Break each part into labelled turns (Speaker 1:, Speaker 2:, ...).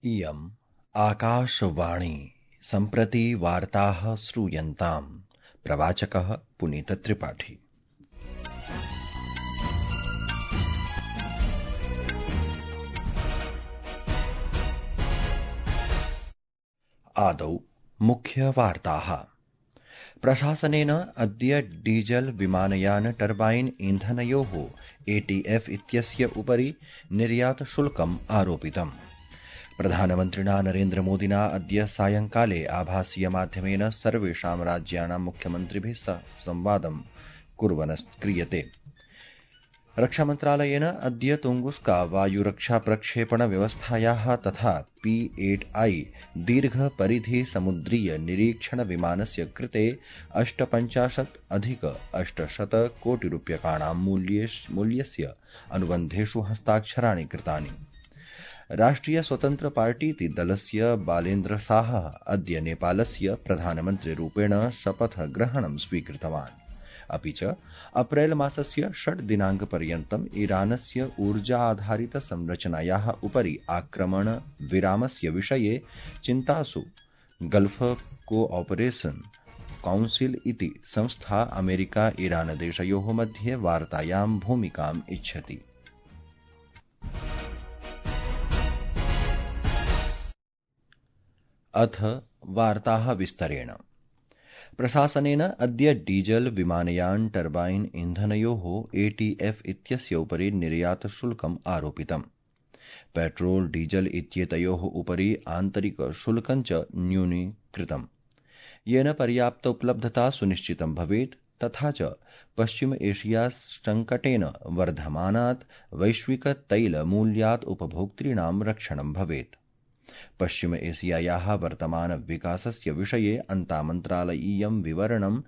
Speaker 1: इयम् आकाशवाणी सम्प्रति वार्ताः श्रूयन्ताम्। प्रवाचकः पुनीतत्रिपाठी। आदौ मुख्यवार्ताः। प्रशासनेन अद्य डीजल विमानयान टर्बाइन ईन्धनयोः एटीएफ इत्यस्य उपरि निर्यातशुल्कम् आरोपितम्। प्रधानमन्त्रिणा नरेन्द्रमोदिना अद्य सायंकाले आभासीयमाध्यमेन सर्वेषां राज्यानां मुख्यमन्त्रिभिः सह संवादं क्रियते। रक्षामन्त्रालयेन अद्य तुंगुस्का वायुरक्षाप्रक्षेपण व्यवस्थायाः तथा P-8I दीर्घपरिधि समुद्रीय निरीक्षण विमानस्य कृते 58,800 कोटिरूप्यकाणां मूल्यस्य अनुबन्धेषु हस्ताक्षराणि कृतानि। राष्ट्रिय स्वतन्त्र पार्टीति दलस्य बालेन्द्र साहः अद्य नेपालस्य प्रधानमन्त्रिरूपेण शपथग्रहणं स्वीकृतवान्। अपि च अप्रैल मासस्य 6 दिनाङ्कपर्यन्तम् ईरानस्य ऊर्जा आधारित संरचनायाः उपरि आक्रमण विरामस्य विषये चिन्तासु गल्फ कोऑपरेशन काउन्सिल इति संस्था अमेरिका ईरान देशयोः मध्ये वार्तायां भूमिकाम् इच्छति। अथ वार्ताः विस्तरेण। प्रशासनेन अद्य डीजल विमानयान टर्बाइन ईन्धनयोः एटीएफ इत्यस्य उपरि निर्यातशुल्कम् आरोपितम्। पेट्रोल डीजल इत्येतयोः उपरि आन्तरिकशुल्कं च न्यूनीकृतम्, येन पर्याप्त उपलब्धता सुनिश्चितं भवेत् तथा च पश्चिम एशिया सङ्कटेन वर्धमानात् वैश्विक तैलमूल्यात् उपभोक्तॄणां रक्षणं भवेत्। पश्चिम एशियायाः वर्तमान विकासस्य विषये अन्तामन्त्रालयीयं विवरणं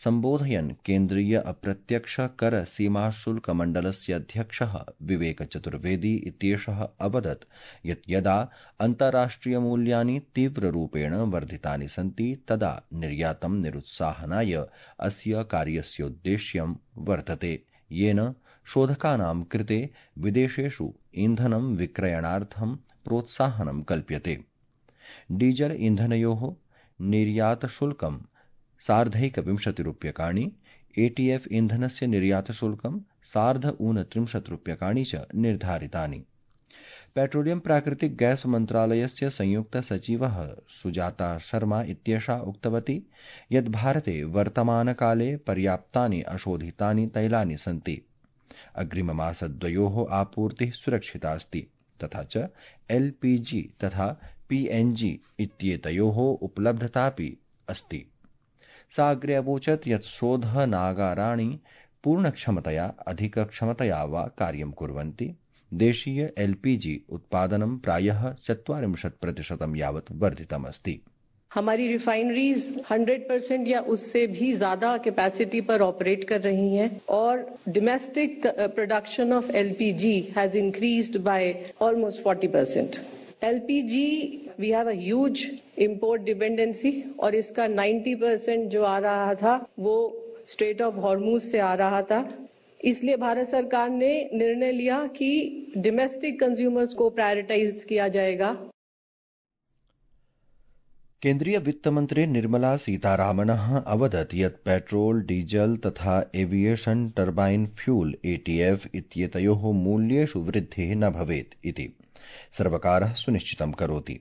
Speaker 1: सम्बोधयन् केन्द्रीय अप्रत्यक्ष कर सीमाशुल्कमण्डलस्य अध्यक्षः विवेक चतुर्वेदी इत्येषः अवदत् यत् यदा अन्ताराष्ट्रियमूल्यानि तीव्ररूपेण वर्धितानि सन्ति तदा निर्यातं निरुत्साहनाय अस्य कार्यस्योद्देश्यं वर्तते, येन शोधकानां कृते विदेशेषु ईन्धनं विक्रयणार्थं प्रोत्साहनं कल्प्यते। डीजल ईन्धनयोः निर्यातशुल्कं 1,20 रूप्यकाणि, एटीएफ ईन्धनस्य निर्यातशुल्कं 1,39 रूप्यकाणि च निर्धारितानि। पेट्रोलियम प्राकृतिक गैस मन्त्रालयस्य संयुक्त सचिवः सुजाता शर्मा इत्येषा उक्तवती यत् भारते वर्तमानकाले पर्याप्तानि अशोधितानि तैलानि सन्ति। अग्रिममासद्वयोः आपूर्तिः सुरक्षिता अस्ति तथा च LPG तथा PNG इत्येतयोः उपलब्धतापि अस्ति। सा अग्रे अवोचत् यत् शोधनागाराणि पूर्णक्षमतया अधिकक्षमतया वा कार्यं कुर्वन्ति। देशीय LPG उत्पादनं प्रायः 40% यावत् वर्धितमस्ति।
Speaker 2: हमारी रिफाइनरीज 100% या उससे भी ज्यादा कैपेसिटी पर ऑपरेट कर रही हैं और domestic production of LPG has increased by almost 40%। LPG we have a huge import dependency और इसका 90% जो आ रहा था वो स्ट्रेट ऑफ हॉर्मुज से आ रहा था। इसलिए भारत सरकार ने निर्णय लिया कि डोमेस्टिक कंज्यूमर्स को प्रायोरिटाइज किया जाएगा।
Speaker 1: केन्द्रीय वित्तमन्त्री निर्मला सीतारामनः अवदत् यत् पेट्रोल डीजल तथा एविएशन टर्बाइन फ्यूल एटीएफ इत्येतयोः मूल्येषु वृद्धिः न भवेत् इति सर्वकारः सुनिश्चितं करोति।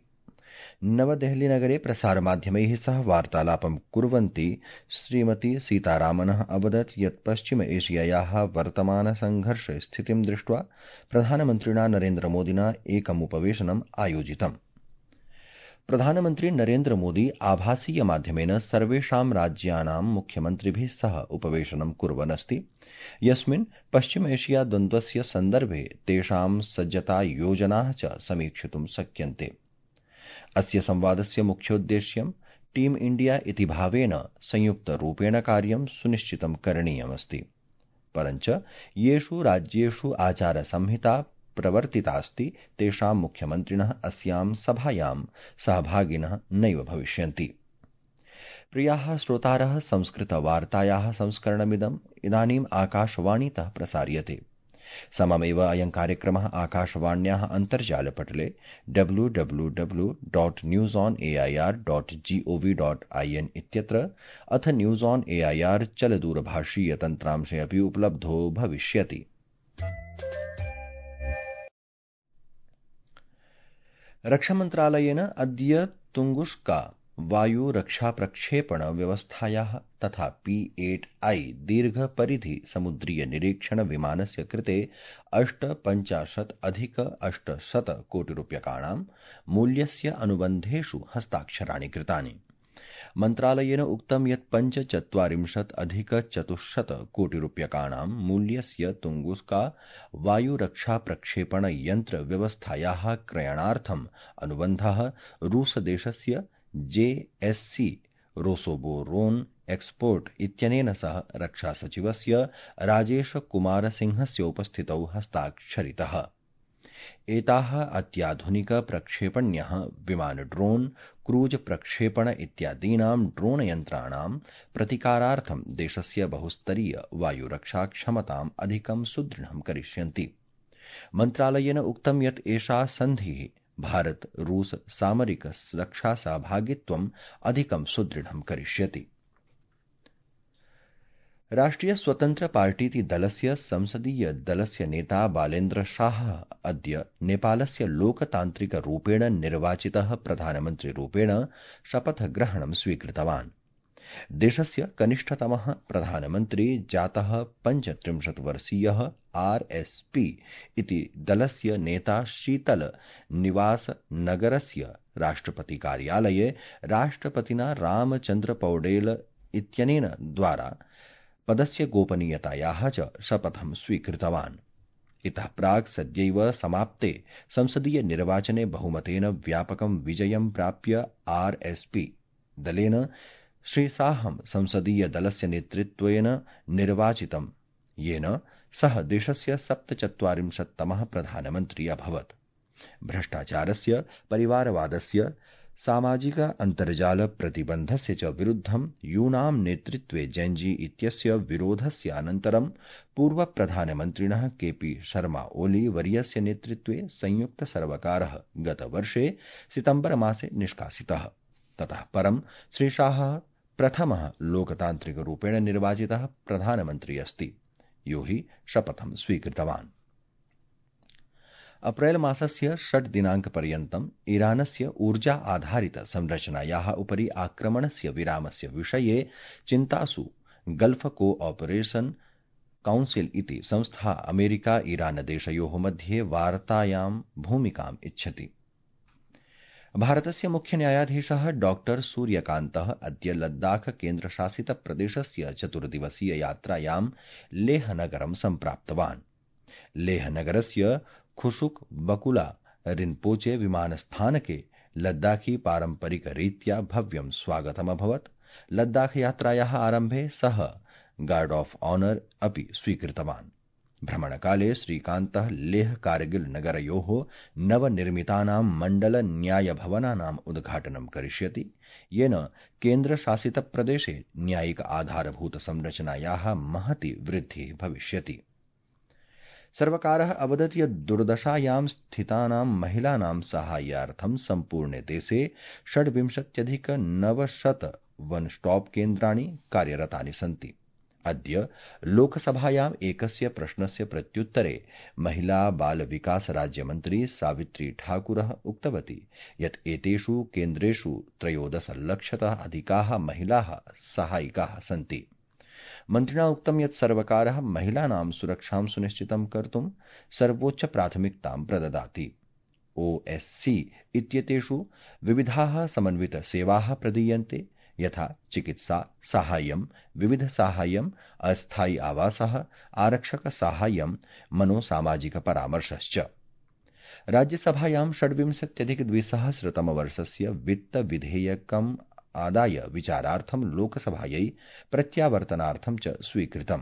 Speaker 1: नवदेहलीनगरे प्रसारमाध्यमैः सह वार्तालापं कुर्वन्ती श्रीमती सीतारामनः अवदत् यत् पश्चिम एशियायाः वर्तमानसङ्घर्षस्थितिं दृष्ट्वा प्रधानमन्त्रिणा नरेन्द्रमोदिना एकम् उपवेशनम् आयोजितम्। प्रधानमन्त्री नरेन्द्र मोदी आभासीयमाध्यमेन सर्वेषां राज्यानां मुख्यमन्त्रिभिः सह उपवेशनं कुर्वन् अस्ति, यस्मिन् पश्चिम एशिया द्वन्द्वस्य सन्दर्भे तेषां सज्जतायोजनाः च समीक्षितुं शक्यन्ते। अस्य संवादस्य मुख्योद्देश्यं टीम इण्डिया इति भावेन संयुक्तरूपेण कार्यं सुनिश्चितं करणीयमस्ति। परञ्च येषु राज्येषु आचारसंहिता प्रवर्तितास्ति तेषां मुख्यमन्त्रिणः अस्यां सभायां सहभागिनः नैव भविष्यन्ति। प्रियाः श्रोतारः, संस्कृतवार्तायाः संस्करणमिदम् इदानीम् आकाशवाणीतः प्रसार्यते। सममेव अयं कार्यक्रमः आकाशवाण्याः अन्तर्जालपटले www.newsonair.gov.in इत्यत्र अथ न्यूज ऑन एआईआर चलदूरभाषीय तन्त्रांशे अपि उपलब्धो भविष्यति। रक्षामन्त्रालयेन अद्य तुंगुस्का वायुरक्षाप्रक्षेपण व्यवस्थायाः तथा P-8I दीर्घपरिधि समुद्रीय निरीक्षण विमानस्य कृते 850 कोटि रूप्यकाणां मूल्यस्य अनुबन्धेषु हस्ताक्षराणि कृतानि। मन्त्रालयेन उक्तं यत् 45 कोटि रूप्यकाणां मूल्यस्य तुंगुस्का वायुरक्षाप्रक्षेपण यन्त्र व्यवस्थायाः क्रयणार्थम् अनुबन्धः रूसदेशस्य JSC रोसोबोरोन एक्सपोर्ट इत्यनेन सह रक्षासचिवस्य राजेशकुमारसिंहस्य उपस्थितौ हस्ताक्षरितः। एताः अत्याधुनिक प्रक्षेपण्यः विमान ड्रोन क्रूज प्रक्षेपण इत्यादीनां ड्रोन यन्त्राणां प्रतिकारार्थं देशस्य बहुस्तरीय वायुरक्षा क्षमताम् अधिकं सुदृढं करिष्यन्ति। मन्त्रालयेन उक्तं यत् एषा सन्धिः भारत रूस सामरिक रक्षा सहभागित्वम् अधिकं सुदृढं करिष्यति। राष्ट्रिय स्वतन्त्र पार्टीति दलस्य संसदीय दलस्य नेता बालेन्द्र शाह अद्य नेपालस्य लोकतान्त्रिक रूपेण निर्वाचितः प्रधानमन्त्री रूपेण शपथग्रहणं स्वीकृतवान्। देशस्य कनिष्ठतमः प्रधानमन्त्री जातः 35 वर्षीयः RSP इति दलस्य नेता शीतल निवास नगरस्य राष्ट्रपति कार्यालये राष्ट्रपतिना रामचन्द्र पौडेल इत्यनेन द्वारा पदस्य गोपनीयतायाः च शपथं स्वीकृतवान्। इतः प्राक् सद्यैव समाप्ते संसदीय निर्वाचने बहुमतेन व्यापकं विजयं प्राप्य RSP दलेन श्रीशाहं संसदीय दलस्य नेतृत्वेन निर्वाचितं, येन सः देशस्य 47तमः प्रधानमन्त्री अभवत्। भ्रष्टाचारस्य, परिवारवादस्य, सामाजिक अन्तर्जाल प्रतिबन्धस्य च विरुद्धं यूनां नेतृत्वे जेन्जी इत्यस्य विरोधस्य अनन्तरं पूर्वप्रधानमन्त्रिणः KP शर्मा ओली वर्यस्य नेतृत्वे संयुक्तसर्वकारः गतवर्षे सितम्बरमासे निष्कासितः। ततः परं श्रीशाहः प्रथमः लोकतान्त्रिकरूपेण निर्वाचितः प्रधानमन्त्री अस्ति, यो हि शपथं स्वीकृतवान्। अप्रैल मासस्य 6 दिनाङ्कपर्यन्तम् ईरानस्य ऊर्जा आधारित संरचनायाः उपरि आक्रमणस्य विरामस्य विषये चिन्तासु गल्फ कोऑपरेशन काउन्सिल इति संस्था अमेरिका ईरान देशयोः मध्ये वार्तायां भूमिकाम् इच्छति। भारतस्य मुख्य न्यायाधीशः डॉक्टर सूर्यकान्तः अद्य लद्दाख केन्द्रशासित प्रदेशस्य 4 दिवसीय यात्रायां लेहनगरं सम्प्राप्तवान्। लेहनगरस्य खुशुक बकुला रिन्पोचे विमानस्थानके लद्दाखी पारम्परिक रीत्या भव्यं स्वागतमभवत्। लद्दाख यात्रायाः आरम्भे सः गार्ड ऑफ ऑनर अपि स्वीकृतवान्। भ्रमणकाले श्रीकान्तः लेह कारगिल नगरयोः नवनिर्मितानां मण्डल न्यायभवनानाम् उद्घाटनं करिष्यति, येन केन्द्रशासितप्रदेशे न्यायिक आधारभूत संरचनायाः महती वृद्धिः भविष्यति। सर्वकारः अवदत् यत् दुर्दशायां स्थितानां महिलानां साहाय्यार्थं सम्पूर्णे देशे 26,900 वन स्टॉप केन्द्राणि कार्यरतानि सन्ति। अद्य लोकसभायाम् एकस्य प्रश्नस्य प्रत्युत्तरे महिला बाल विकास राज्यमन्त्री सावित्री ठाकुरः उक्तवती यत् एतेषु केन्द्रेषु 13 लक्षतः अधिकाः महिलाः सहायिकाः सन्ति। मन्त्रिणा उक्तं यत् सर्वकारः महिलानां सुरक्षां सुनिश्चितं कर्तुं सर्वोच्च प्राथमिकतां प्रददाति। OSC इत्येतेषु विविधाः समन्वित सेवाः प्रदीयन्ते, यथा चिकित्सा साहाय्यं, विविध साहाय्यं, अस्थायी आवासः, आरक्षक साहाय्यं, मनोसामाजिक परामर्शश्च। राज्यसभायां 26,200 वित्त विधेयकम् आदाय विचारार्थं लोकसभायै प्रत्यावर्तनार्थं च स्वीकृतम्।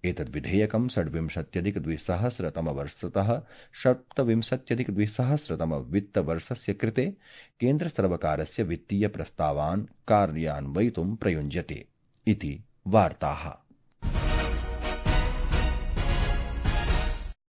Speaker 1: एतद् विधेयकं 26,200 27,200 वित्तवर्षस्य कृते केन्द्रसर्वकारस्य वित्तीय प्रस्तावान् कार्यान्वयितुं प्रयुञ्जते इति वार्ताः।